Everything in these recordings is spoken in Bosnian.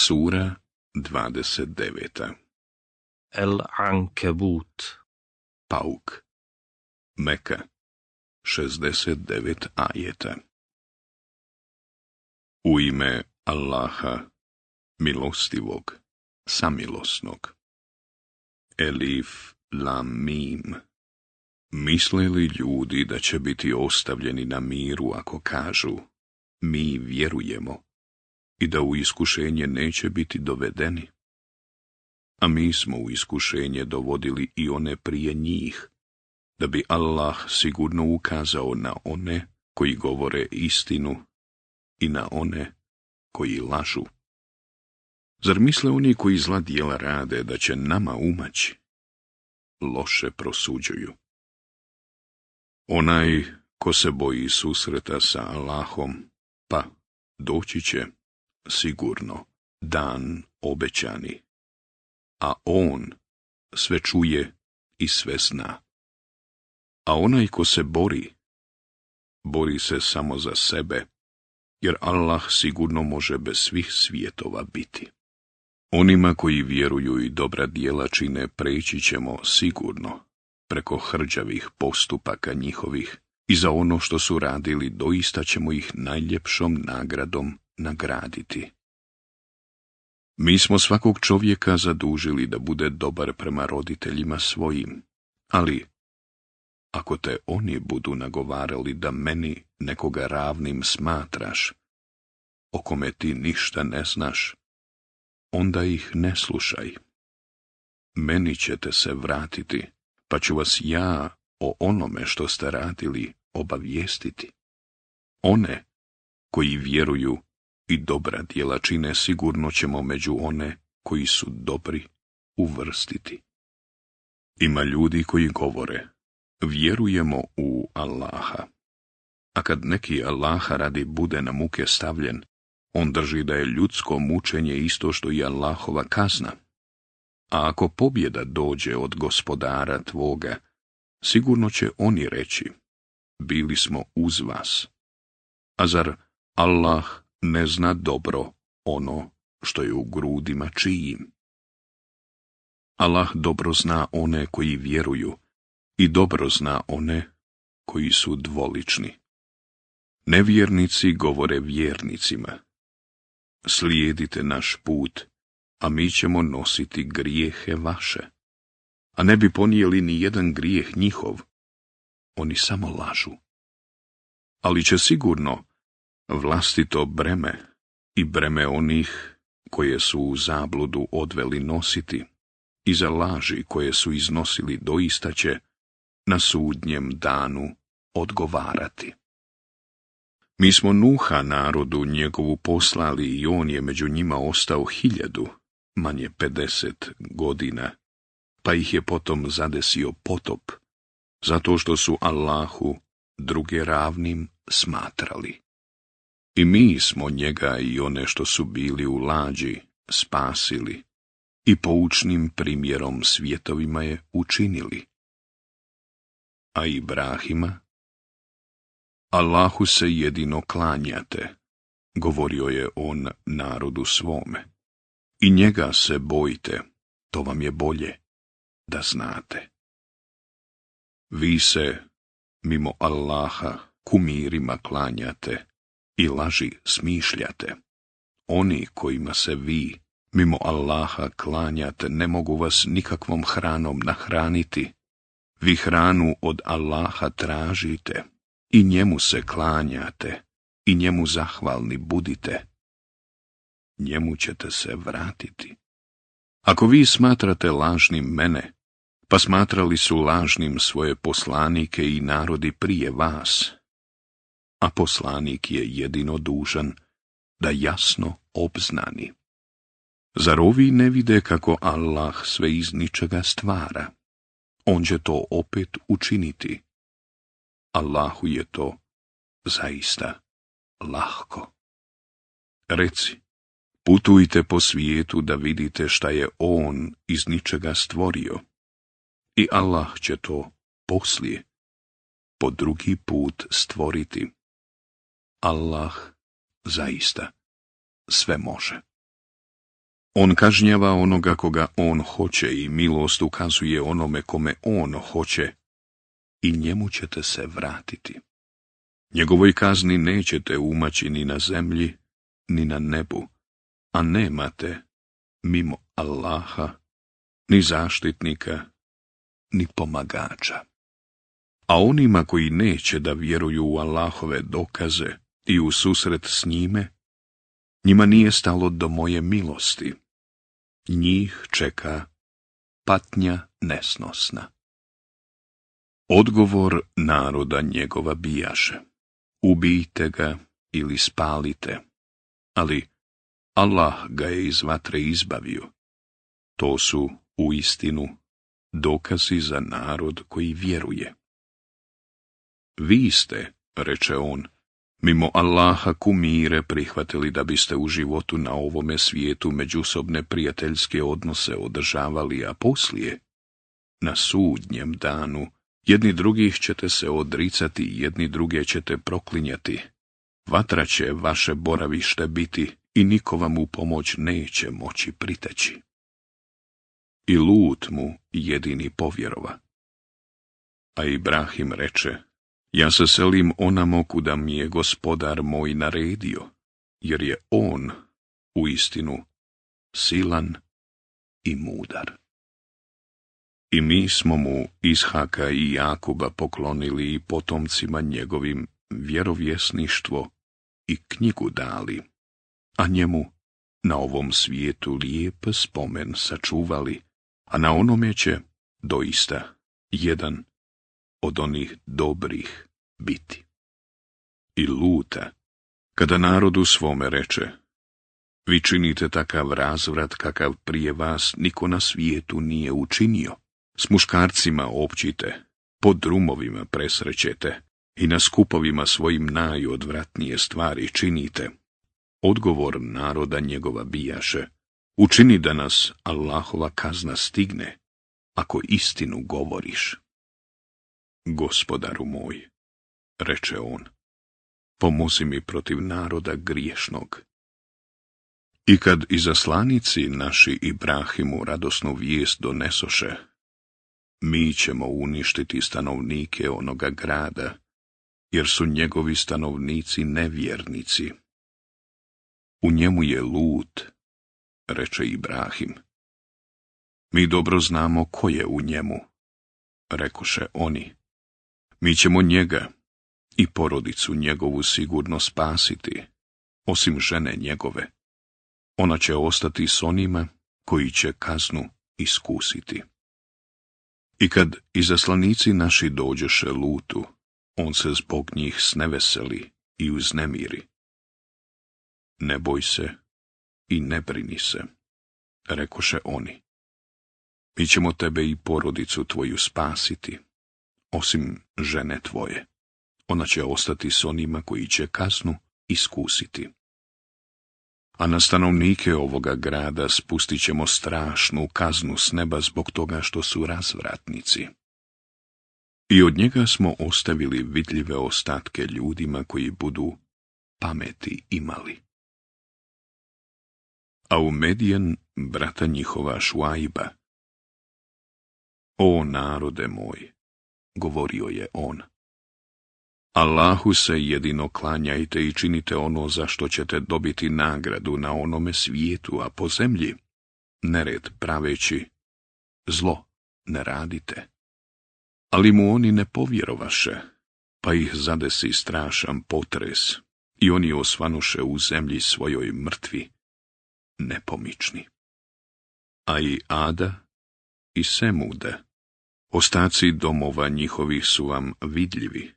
Sura 29. El-Ankebut. Pauk. Meka. 69 ajeta. U ime Allaha, milostivog, samilosnog. Elif, lam, mim. Misle li ljudi da će biti ostavljeni na miru ako kažu, mi vjerujemo, i da u iskušenje neće biti dovedeni? A mi smo u iskušenje dovodili i one prije njih, da bi Allah sigurno ukazao na one koji govore istinu i na one koji lažu. Zar misle oni koji zla djela rade da će nama umaći? Loše prosuđuju. Onaj ko se boji susreta sa Allahom, pa doći će sigurno dan obećani, a on sve čuje i sve zna. A onaj ko se bori se samo za sebe, jer Allah sigurno može bez svih svjetova biti. Onima koji vjeruju i dobra djela čine preći ćemo sigurno preko hrđavih postupaka njihovih i za ono što su radili doista ćemo ih najljepšom nagradom nagraditi. Mi smo svakog čovjeka zadužili da bude dobar prema roditeljima svojim, ali ako te oni budu nagovarali da meni nekoga ravnim smatraš, o kome ti ništa ne znaš, onda ih ne slušaj. Meni ćete se vratiti, pa ću vas ja o onome što ste radili obavijestiti. One koji vjeruju i dobra djela čine sigurno ćemo među one koji su dobri uvrstiti. Ima ljudi koji govore, vjerujemo u Allaha, a kad neki Allaha radi bude na muke stavljen, on drži da je ljudsko mučenje isto što i Allahova kazna. A ako pobjeda dođe od gospodara tvoga, sigurno će oni reći, bili smo uz vas. A zar Allah ne zna dobro ono što je u grudima čijim? Allah dobro zna one koji vjeruju i dobro zna one koji su dvolični. Nevjernici govore vjernicima, slijedite naš put, a mi ćemo nositi grijehe vaše. A ne bi ponijeli ni jedan grijeh njihov, oni samo lažu. Ali će sigurno vlastito breme i breme onih koje su u zabludu odveli nositi i za laži koje su iznosili doista će na sudnjem danu odgovarati. Mi smo Nuha narodu njegovu poslali i on je među njima ostao 1000, manje 50 godina, pa ih je potom zadesio potop, zato što su Allahu druge ravnim smatrali. I mi smo njega i one što su bili u lađi spasili i poučnim primjerom svjetovima je učinili. A Ibrahima, Allahu se jedino klanjate, govorio je on narodu svome, i njega se bojte, to vam je bolje, da znate. Vi se, mimo Allaha, kumirima klanjate i laži smišljate. Oni kojima se vi, mimo Allaha, klanjate, ne mogu vas nikakvom hranom nahraniti. Vi hranu od Allaha tražite i njemu se klanjate i njemu zahvalni budite. Njemu ćete se vratiti. Ako vi smatrate lažnim mene, pa smatrali su lažnim svoje poslanike i narodi prije vas, a poslanik je jedino dužan da jasno obznani. Zar ovi ne vide kako Allah sve iz ničega stvara? On će to opet učiniti. Allahu je to zaista lahko. Reci, putujte po svijetu da vidite šta je on iz ničega stvorio. I Allah će to poslije, po drugi put stvoriti. Allah zaista sve može. On kažnjava onoga koga on hoće i milost ukazuje onome kome on hoće i njemu ćete se vratiti. Njegovoj kazni nećete umaći ni na zemlji, ni na nebu, a nemate, mimo Allaha, ni zaštitnika, ni pomagača. A onima koji neće da vjeruju u Allahove dokaze i u susret s njime, njima nije stalo do moje milosti. Njih čeka patnja nesnosna. Odgovor naroda njegova bijaše: ubijte ga ili spalite, ali Allah ga je iz vatre izbavio. To su uistinu dokazi za narod koji vjeruje. Vi ste, reče on, mimo Allaha kumire prihvatili da biste u životu na ovome svijetu međusobne prijateljske odnose održavali, a poslije, na sudnjem danu, jedni drugih ćete se odricati, jedni druge ćete proklinjati. Vatra će vaše boravište biti i niko vam u pomoć neće moći priteći. I Lut mu jedini povjerova. A Ibrahim reče: ja se selim onamo kuda mi je gospodar moj naredio, jer je on uistinu silan i mudar. I mi smo mu Ishaka i Jakuba poklonili i potomcima njegovim vjerovjesništvo i knjigu dali, a njemu na ovom svijetu lijep spomen sačuvali, a na onome će doista jedan od onih dobrih biti. I Luta, kada narodu svome reče: vi činite takav razvrat kakav prije vas niko na svijetu nije učinio, s muškarcima općite, po drumovima presrećete i na skupovima svojim najodvratnije stvari činite. Odgovor naroda njegova bijaše: učini da nas Allahova kazna stigne, ako istinu govoriš. Gospodaru moj, reče on, pomozi mi protiv naroda griješnog. I kad izaslanici naši Ibrahimu radosnu vijest donesoše: mi ćemo uništiti stanovnike onoga grada, jer su njegovi stanovnici nevjernici. U njemu je Lut, reče Ibrahim. Mi dobro znamo ko je u njemu, rekoše oni. Mi ćemo njega i porodicu njegovu sigurno spasiti, osim žene njegove. Ona će ostati s onima koji će kaznu iskusiti. I kad izaslanici naši dođeše Lutu, on se zbog njih sneveseli i uznemiri. Ne boj se i ne brini se, rekoše oni. Mi ćemo tebe i porodicu tvoju spasiti, osim žene tvoje. Ona će ostati s onima koji će kaznu iskusiti. A na stanovnike ovoga grada spustit ćemo strašnu kaznu s neba zbog toga što su razvratnici. I od njega smo ostavili vidljive ostatke ljudima koji budu pameti imali. A u Medijan brata njihova Šuajba: o narode moj, govorio je on, Allahu se jedino klanjajte i činite ono za što ćete dobiti nagradu na onome svijetu, a po zemlji nered praveći, zlo ne radite. Ali mu oni ne povjerovaše, pa ih zadesi strašan potres i oni osvanuše u zemlji svojoj mrtvi, nepomični. A i Ada i Semuda, ostaci domova njihovih su vam vidljivi.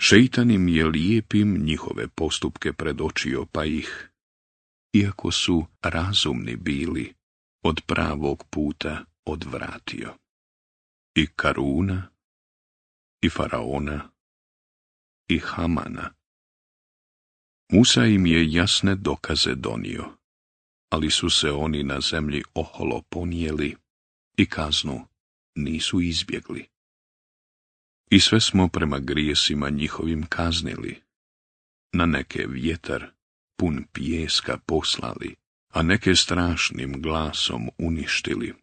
Šejtan im je lijepim njihove postupke predočio, pa ih, iako su razumni bili, od pravog puta odvratio. I Karuna, i Faraona, i Hamana. Musa im je jasne dokaze donio, ali su se oni na zemlji oholo ponijeli i kaznu nisu izbjegli. I sve smo prema grijesima njihovim kaznili, na neke vjetar pun pijeska poslali, a neke strašnim glasom uništili,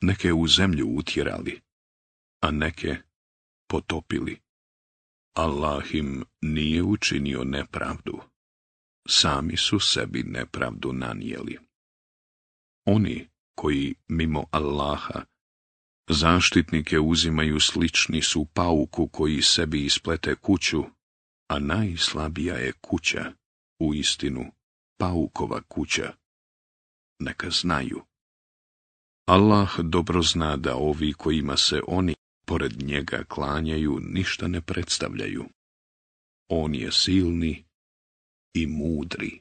neke u zemlju utjerali, a neke potopili. Allah im nije učinio nepravdu, sami su sebi nepravdu nanijeli. Oni koji mimo Allaha zaštitnike uzimaju, slični su pauku koji sebi isplete kuću, a najslabija je kuća, uistinu paukova kuća. Neka znaju. Allah dobro zna da ovi kojima se oni pored njega klanjaju ništa ne predstavljaju. On je silni i mudri.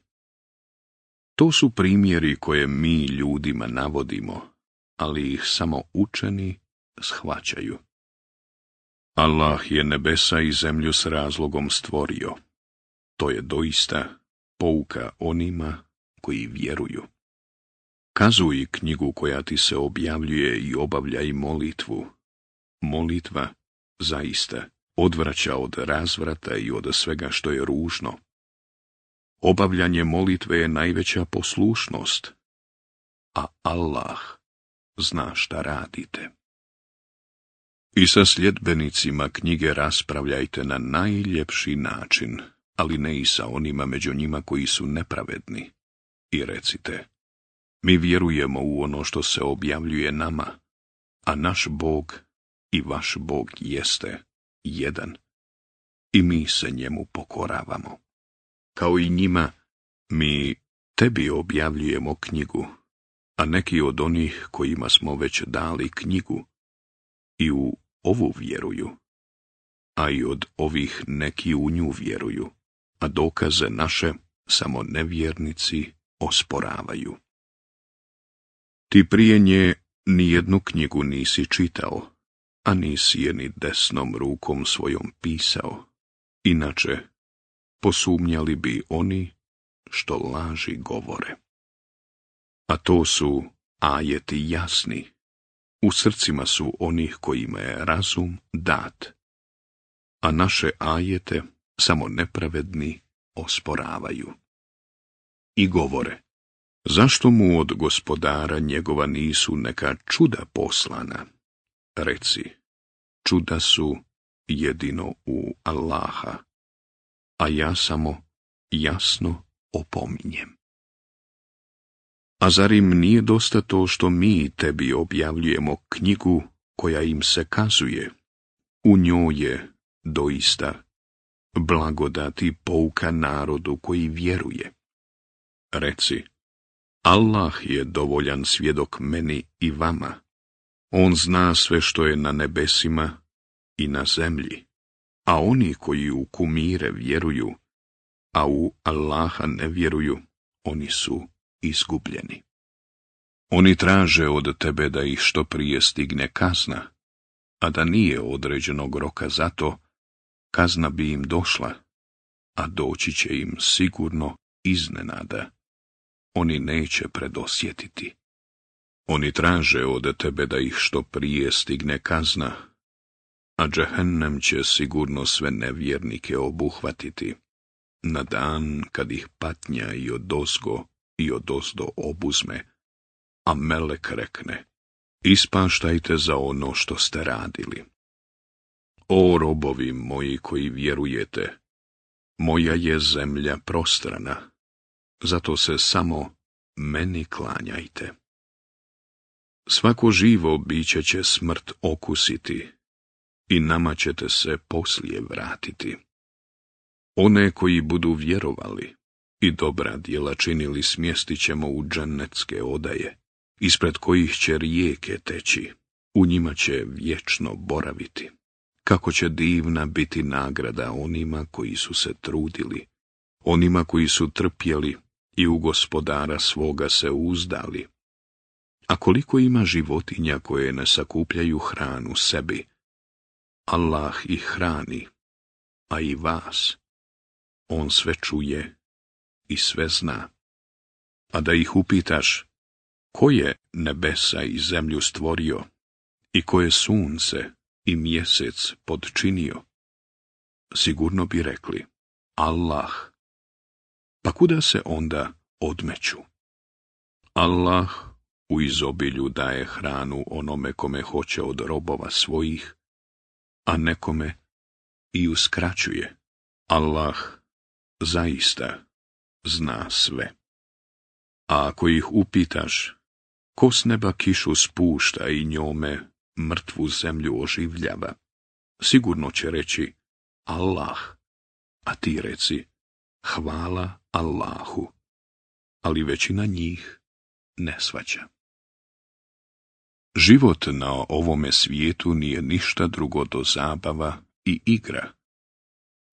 To su primjeri koje mi ljudima navodimo, ali ih samo učeni shvaćaju. Allah je nebesa i zemlju s razlogom stvorio. To je doista pouka onima koji vjeruju. Kazuj knjigu koja ti se objavljuje i obavljaj molitvu. Molitva, zaista, odvraća od razvrata i od svega što je ružno. Obavljanje molitve je najveća poslušnost, a Allah zna šta radite. I sa sljedbenicima knjige raspravljajte na najljepši način, ali ne i sa onima među njima koji su nepravedni. I recite, mi vjerujemo u ono što se objavljuje nama, a naš Bog i vaš Bog jeste jedan, i mi se njemu pokoravamo. Kao i njima, mi tebi objavljujemo knjigu, a neki od onih kojima smo već dali knjigu i u ovu vjeruju, a i od ovih neki u nju vjeruju, a dokaze naše samo nevjernici osporavaju. Ti prije nje nijednu knjigu nisi čitao, a nisi je ni desnom rukom svojom pisao, inače posumnjali bi oni što laži govore. A to su ajeti jasni, u srcima su onih kojima je razum dat, a naše ajete samo nepravedni osporavaju. I govore, zašto mu od gospodara njegova nisu neka čuda poslana? Reci, čuda su jedino u Allaha, a ja samo jasno opominjem. A zar im nije dosta to što mi tebi objavljujemo knjigu koja im se kazuje? U njoj je doista blagodati pouka narodu koji vjeruje. Reci, Allah je dovoljan svjedok meni i vama. On zna sve što je na nebesima i na zemlji, a oni koji u kumire vjeruju, a u Allaha ne vjeruju, oni su izgubljeni. Oni traže od tebe da ih što prije stigne kazna, a da nije određenog roka za to, kazna bi im došla, a doći će im sigurno iznenada. Oni neće predosjetiti. Oni traže od tebe da ih što prije stigne kazna, a džehennem će sigurno sve nevjernike obuhvatiti, na dan kad ih patnja i odozgo i odozdo obuzme, a melek rekne, ispaštajte za ono što ste radili. O robovi moji koji vjerujete, moja je zemlja prostrana, zato se samo meni klanjajte. Svako živo biće će smrt okusiti i nama ćete se poslije vratiti. One koji budu vjerovali i dobra djela činili smjestit ćemo u džennetske odaje, ispred kojih će rijeke teći, u njima će vječno boraviti. Kako će divna biti nagrada onima koji su se trudili, onima koji su trpjeli i u gospodara svoga se uzdali. A koliko ima životinja koje ne sakupljaju hranu sebi, Allah ih hrani, a i vas. On sve čuje i sve zna. A da ih upitaš, ko je nebesa i zemlju stvorio i ko je sunce i mjesec podčinio, sigurno bi rekli, Allah. Pa kuda se onda odmeću? Allah u izobilju daje hranu onome kome hoće od robova svojih, a nekome i uskraćuje. Allah zaista zna sve. A ako ih upitaš, ko s neba kišu spušta i njome mrtvu zemlju oživljava, sigurno će reći Allah, a ti reci hvala Allahu, ali većina njih ne shvaća. Život na ovome svijetu nije ništa drugo do zabava i igra,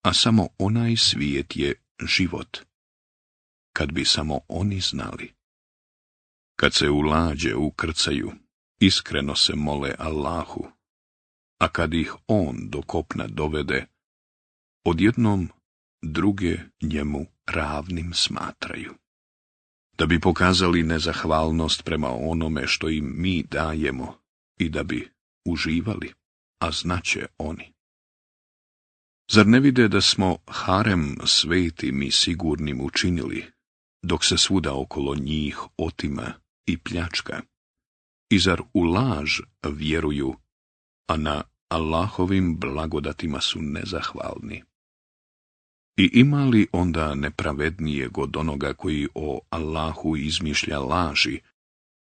a samo onaj svijet je život. Kad bi samo oni znali. Kad se u lađe ukrcaju, iskreno se mole Allahu, a kad ih on do kopna dovede, odjednom druge njemu ravnim smatraju. Da bi pokazali nezahvalnost prema onome što im mi dajemo i da bi uživali, a znaće oni. Zar ne vide da smo harem svetim i sigurnim učinili, dok se svuda okolo njih otima i pljačka? I zar u laž vjeruju, a na Allahovim blagodatima su nezahvalni? I ima li onda nepravednijeg od onoga koji o Allahu izmišlja laži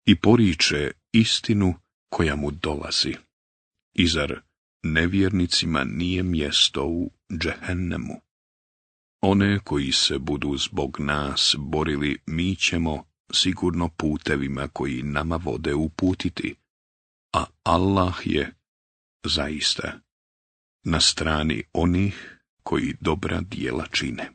i poriče istinu koja mu dolazi? I zar nevjernicima nije mjesto u džehennemu? One koji se budu zbog nas borili, mi ćemo sigurno putevima koji nama vode uputiti, a Allah je zaista na strani onih koji dobra djela čine.